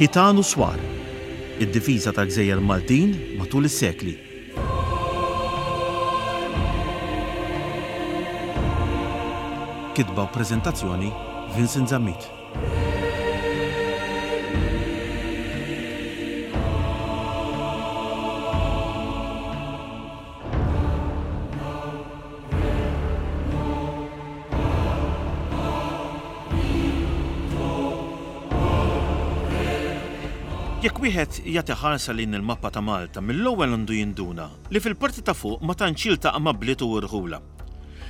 Ħitan u Swar, Id-difiża tal-gżejjer Maltin matul is-sekli. Kitba u preżentazzjoni Vincent Zammit. Jekk wieħed jagħti ħarsa lejn il-mappa ta' Malta, mill-ewwel għandu jinduna li fil-parti ta' fuq ma tantx jiltaqa' ma' bliet u rħula.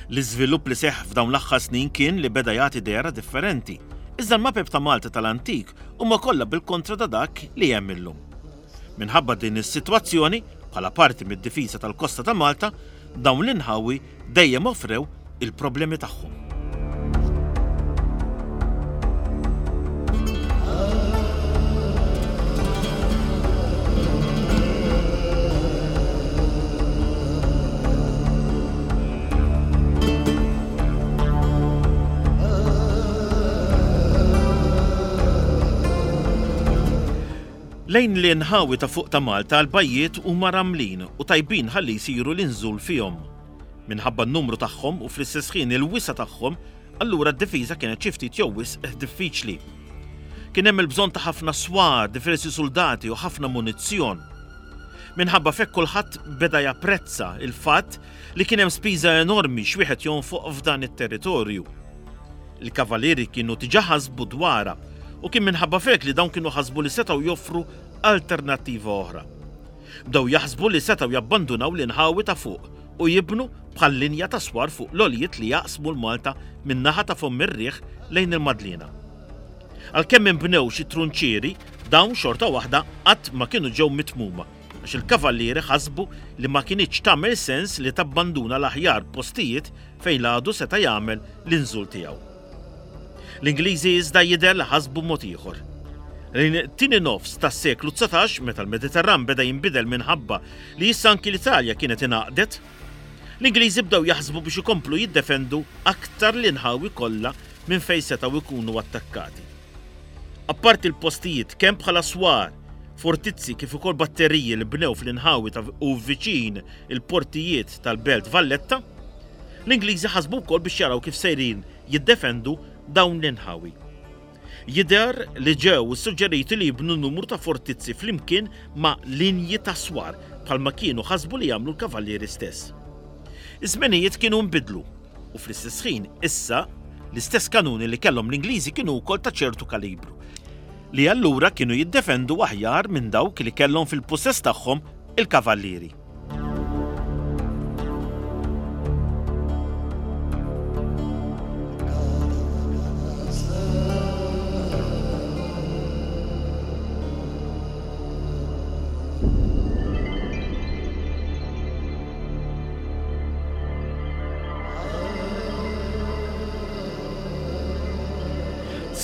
L-iżvilupp li seħħ f'dawn l-aħħar snin kien li beda jagħti dehra differenti, iżda l-mapep ta' Malta tal-antik huma kollha bil-kontra ta' dak li hemm illum. Minħabba din is-sitwazzjoni, bħala parti mid-difiża tal-kosta ta' Malta, dawn l-inħawi dejjem offrew il-problemi tagħhom. Lejn l-inħawi ta' fuq ta' Malta l-bajjiet huma ramlin u tajbin ħalli jsiru l-inżul fihom. Minħabba n-numru tagħhom u fl-istess ħin il-wisa' tagħhom, allura d-difiża kienet xi ftit jew wisq diffiċli. Kien hemm il-bżonn ta' ħafna swar, diversi suldati u ħafna munizzjon. Minħabba f'hekk kulħadd beda japprezza l-fatt li kien hemm spiża enormi x'wieħed jonfoq f'dan it-territorju. Il-Kavalieri kienu diġà ħasbu dwarha u kien minħabba f'hekk li dawn kienu ħasbu li setgħu joffru alternattiva oħra. Bdew jaħsbu li setgħu jabbandunaw l-inħawi ta' fuq u jibnu bħal linja ta' swar fuq l-għoljiet li jaqsmu l-Malta min-naħa ta' Fomm ir-Riħ lejn il-Madliena. Għalkemm inbnew xi trunċieri, dawn xorta waħda qatt ma kienu ġew mitmuma għax il-Kavallieri ħasbu li ma kinitx tagħmel sens li tabbanduna l-aħjar postijiet fejn l-għadu seta' jagħmel l-inżul tiegħu. L-Ingliżi iżda jidher li ħasbu mod ieħor. Lejn it-tieni nofs tas-seklu 19, meta l-Mediterran beda jinbidel minħabba li issa anki l-Italja kienet ingħaqdet, l-Ingliżi bdew jaħsbu biex ikomplu jiddefendu aktar l-inħawi kollha minn fejn setgħu jkunu attakkati. Apparti l-postijiet kemm bħala swar, fortizzi kif ukoll batteriji li bnew fl-inħawi ta' u viċin il-portijiet tal-Belt Valletta, l-Ingliżi ħasbu wkoll biex jaraw kif sejrin jiddefendu dawn l-inħawi. Jidher li ġew issuġġeriti li jibnu numru ta' fortizzi flimkien ma' linji ta' swar bħalma kienu ħasbu li jagħmlu l-Kavallieri stess. Iż-żmenijiet kienu nbidlu u fl-istess ħin issa l-istess kanuni li kellhom l-Ingliżi kienu wkoll ta' ċertu kalibru, li allura kienu jiddefendu aħjar minn dawk li kellhom fil-pussess tagħhom il-Kavallieri.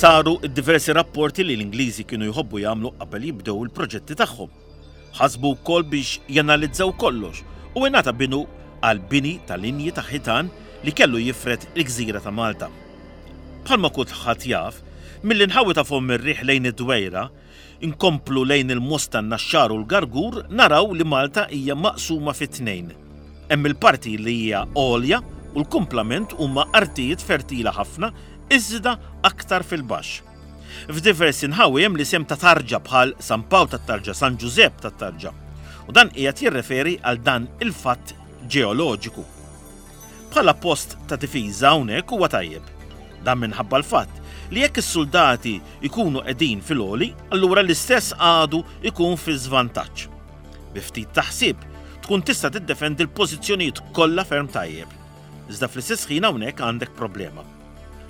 Saru diversi rapporti li l-Ingliżi kienu jħobbu jagħmlu qabel jibdew il-proġetti tagħhom. Ħasbu wkoll biex janalizzaw kollox u ingħata binu għall-bini ta' linji ta' ħitan li kellu jifred il-gżira ta' Malta. Bħalma kulħadd jaf, mill-inħawi ta' Fomm ir-Riħ lejn id-Dwejra, inkomplu lejn il-Mosta n-Naxxar u l-Gargur naraw li Malta hija maqsuma fi tnejn. Hemm il-parti li hija għolja u l-kumplament huma artijiet fertila ħafna iżda aktar fil-baxx. F'diversi nħawi hemm l-isem ta' tarġa bħal San Pawl tat-Tarġa, San Ġużepp tat-Tarġa. U dan qiegħed jirreferi għal dan il-fatt ġeoloġiku. Bħala post ta' difiża hawnhekk huwa tajjeb. Dan minħabba l-fatt li jekk is-suldati jkunu qegħdin fil-għoli, allura l-istess għadu jkun fi żvantaġġ. Bi ftit ta' ħsieb, tkun tista' tiddefendi l-pożizzjonijiet kollha ferm tajjeb. Iżda fl-istess ħin hawnhekk għandek problema.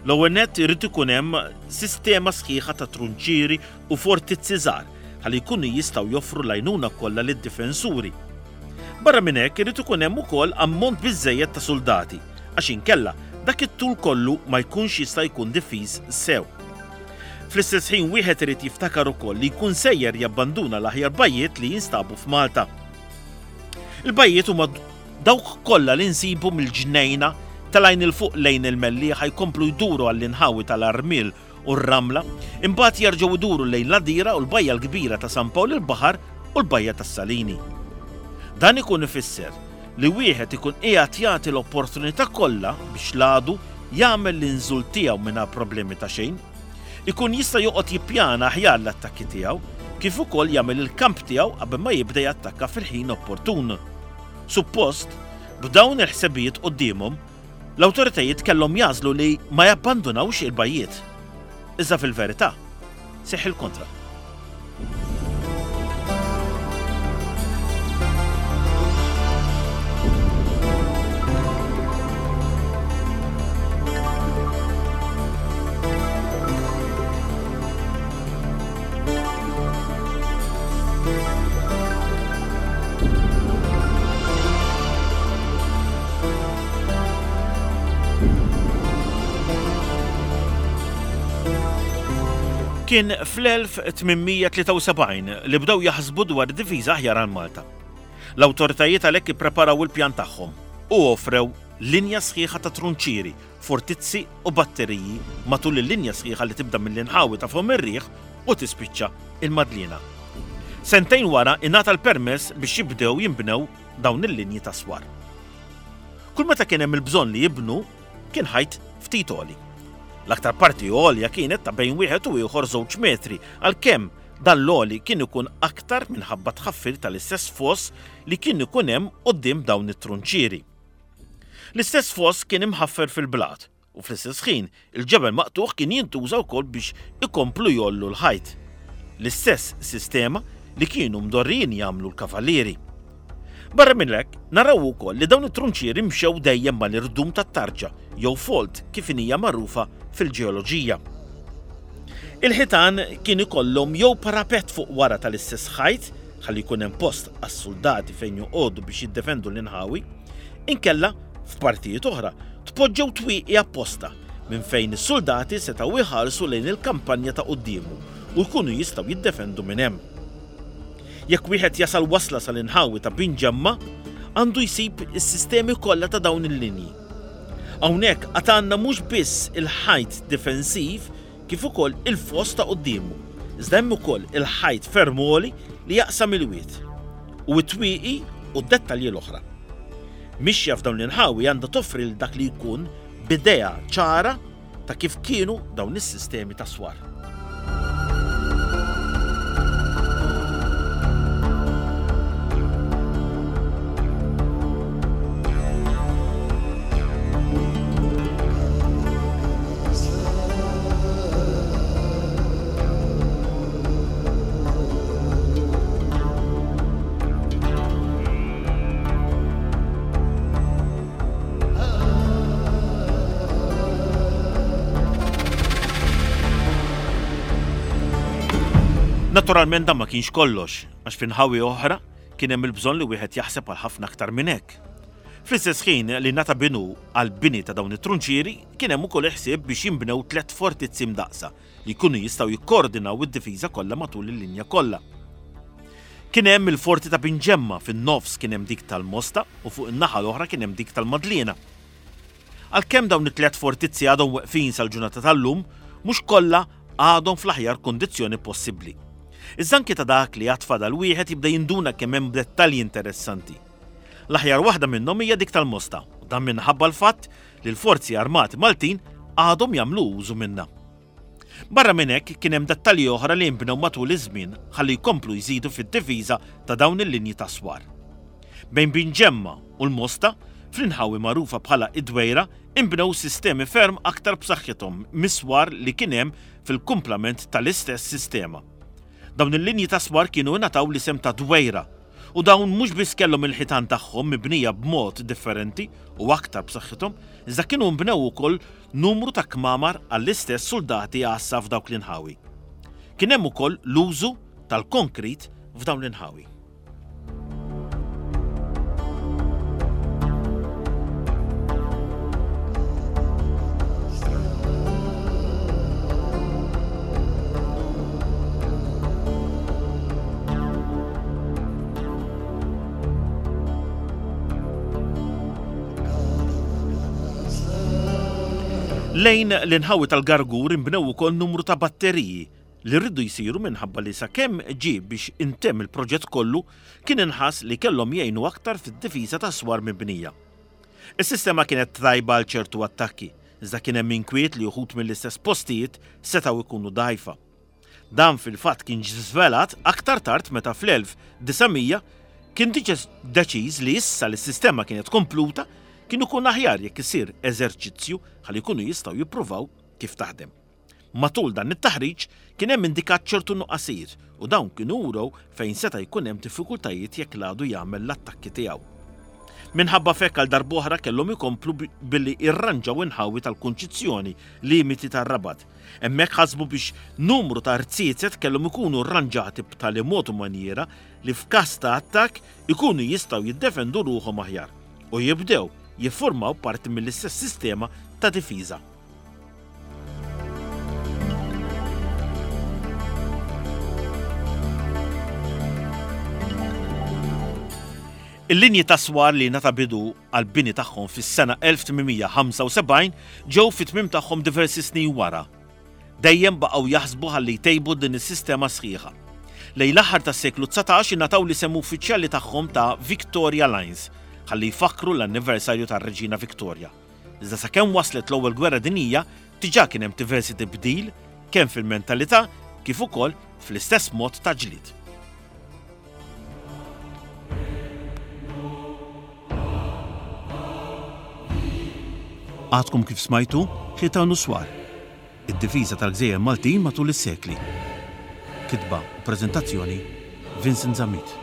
L-ewwel nett irid ikun hemm sistema sħiħa ta' trunċieri u fortizzi żgħar ħalli jkunu jistgħu joffru l-għajnuna kollha lid-difensuri. Barra minn hekk irid ikun hemm ukoll ammont biżżejjed ta' suldati għax inkella dak it-tul kollu ma jkunx jista' jkun difiż sew. Fl-istess ħin wieħed irid jiftakar ukoll li jkun sejjer jabbanduna l-aħjar bajjiet li jinstabu f'Malta. Il-bajjiet huma dawk kollha li nsibu mill-Ġnejna Telgħin 'il fuq lejn il-Mellieħa jkomplu jduru għall-inħawi tal-Armiel u r-Ramla, imbagħad jerġgħu jduru lejn l-Għadira u l-Bajja l-Kbira ta' San Pawl il-Baħar u l-Bajja tas-Salini. Dan ikun ifisser li wieħed ikun qiegħed jagħti l-opportunità kollha biex l-għadu jagħmel l-inżul tiegħu mingħajr problemi ta' xejn, ikun jista' joqgħod jippjana aħjar l-attakki tiegħu, kif ukoll jagħmel il-kamp tiegħu qabel ma jibda jattakka fil-ħin opportun. Suppost, b'dawn il-ħsebijiet quddiemhom, l-awtoritajiet kellhom jagħżlu li ma jabbandunawx il-bajjiet. Iżda fil-verità, seħħ il-kontra. Kien fl-1873 li bdew jaħsbu dwar difiża aħjar għal Malta. L-awtoritajiet għalhekk ippreparaw il-pjan tagħhom u offrew linja sħiħa ta' trunċieri, fortizzi u batteriji matul il-linja sħiħa li tibda mill-inħawi ta' Fomm ir-Riħ u tispiċċa il-Madliena. Sentejn wara ingħata l-permess biex jibdew jinbnew dawn il-linji ta' swar. Kull meta kien hemm il-bżonn li jibnu, kien ħajt ftit għoli. L-aktar parti għolja kienet ta' bejn wieħed u ieħor żewġ metri, għalkemm dan l-għoli kien ikun aktar minħabba tħaffir tal-istess foss li kien ikun hemm quddiem dawn it-trunċieri. L-istess foss kien imħaffer fil-blat u fl-istess ħin il-ġebel maqtugħ kien jintuża wkoll biex ikomplu jgħollu l-ħajt. L-istess sistema li kienu mdorrijin jagħmlu l-kavallieri. Barra minn hekk, naraw ukoll li dawn it-trunċieri mxew dejjem mal-irdum tat-tarġa jew fault kif inhija magħrufa fil-ġeoloġija. Il-ħitan kien ikollhom jew parapett fuq wara tal-istess ħajt ħalli jkun hemm post għas-suldati fejn joqogħdu biex jiddefendu l-inħawi, inkella, f'partijiet oħra, tpoġġew twieqi apposta minn fejn is-suldati setgħu jħarsu lejn il-kampanja ta' quddiemu u jkunu jistgħu jiddefendu minn hemm. Jekk wieħed jasal wasla sal-inħawi ta' Binġemma, għandu jsib is-sistemi kollha ta' dawn il-linji. Hawnhekk għad għandna mhux biss il-ħajt difensiv kif ukoll il-foss ta' quddiemu, iżda hemm ukoll il-ħajt ferm għoli li jaqsam il-wied, u t-twieqi u d-dettalji l-oħra. Mixja f'dawn l-inħawi għandha toffri lil dak li jkun b'idea ċara ta' kif kienu dawn is-sistemi ta' swar. Naturalment dan ma kienx kollox, għax fi nħawi oħra kien hemm il-bżonn li wieħed jaħseb għal ħafna aktar minn hekk. Fl-istess ħin li ngħata binu għall-bini ta' dawn it-trunċieri, kien hemm ukoll il-ħsieb biex jinbnew tlett fortizzi mdaqqsa li jkunu jistgħu jikkoordinaw id-difiża kollha matul il-linja kollha. Kien hemm il-forti ta' Binġemma, fin-nofs kien hemm dik tal-Mosta u fuq in-naħa l-oħra kien hemm dik tal-Madliena. Għalkemm dawn it-tlett fortizzi għadhom weqfin sal-ġurnata tal-lum, mhux kollha għadhom fl-aħjar kundizzjoni possibbli. Iżda anki ta' dak li għad fadal wieħed jibda jinduna kemm hemm dettalji interessanti. L-aħjar waħda minnhom hija dik tal-Mosta u dan minħabba l-fatt li l-Forzi Armati Maltin għadhom jagħmlu użu minnha. Barra minn hekk kien hemm dettalji oħra li nbnew matul iż-żmien ħalli jkomplu jżidu fid-difiża ta' dawn il-linji ta' swar. Bejn Binġemma u l-Mosta, fl-inħawi magħrufa bħala id-Dwejra, inbnew sistemi ferm aktar b'saħħithom mis-swar li kien hemm fil-kumplament tal-istess sistema. Dawn il-linji ta' swar kienu ingħataw l-isem ta' Dwejra U dawn mhux biss kellhom il-ħitan tagħhom mibnija b'mod differenti u aktar b'saħħithom, iżda kienu nbnew ukoll numru ta' kmamar għall-istess suldati għassa f'dawk l-inħawi. Kien hemm ukoll l-użu tal-konkrit f'dawn l-inħawi. Lejn l-inħawi tal-Gargur inbnew ukoll numru ta' batteriji li rridu jsiru minħabba li sakemm ġie biex intemm il-proġett kollu kien inħass li kellhom jgħinu aktar fid-difiża tas-swar mibnija. Is-sistema kienet tajba għal ċertu attakki, iżda kien hemm inkwiet li uħud mill-istess postijiet setgħu jkunu dgħajfa. Dan fil-fatt kien ġie żvelat aktar tard meta fl-1900 kien diġa deċiż li issa li s-sistema kienet kompluta kien ikun aħjar jekk isir eżerċizzju ħalli jkunu jistgħu jippruvaw kif taħdem. Matul dan it-taħriġ kien hemm indikat ċertu nuqqasijiet u dawn kienu wrew fejn seta' jkun hemm diffikultajiet jekk l-għadu jagħmel l-attakki tiegħu. Minħabba f'hekk għal darb'oħra kellhom ikomplu billi irranġaw inħawi tal-Kunċizzjoni, limiti tar-Rabat. Hemmhekk ħasbu biex numru ta' rziezet kellhom ikunu rranġati b'tali mod u manjiera li f'każ ta' attakk ikunu jistgħu jiddefendu ruħhom aħjar u jibdew jiffurmaw parti mill-istess sistema ta' difiża. Il-linji ta' swar li ngħata bidu għall-bini tagħhom fis-sena 1875 ġew fit-tmiem tagħhom diversi snin wara. Dejjem baqgħu jaħsbu ħalli jtejbu din is-sistema sħiħa. Lejn l-aħħar tas-seklu 19 ingħataw l-isem uffiċjali tagħhom ta' Victoria Lines ħalli jfakkru l-anniversarju tar-Reġina Victoria. Iżda sakemm waslet l-Ewwel Gwerra Dinjija diġà kien hemm diversi tibdil kemm fil-mentalità kif ukoll fl-istess mod ta' ġlied. Għadkom kif smajtu Ħitan u Swar, id-difiża tal-gżejjer Maltin matul is-sekli. Kitba u preżentazzjoni Vincent Zammit.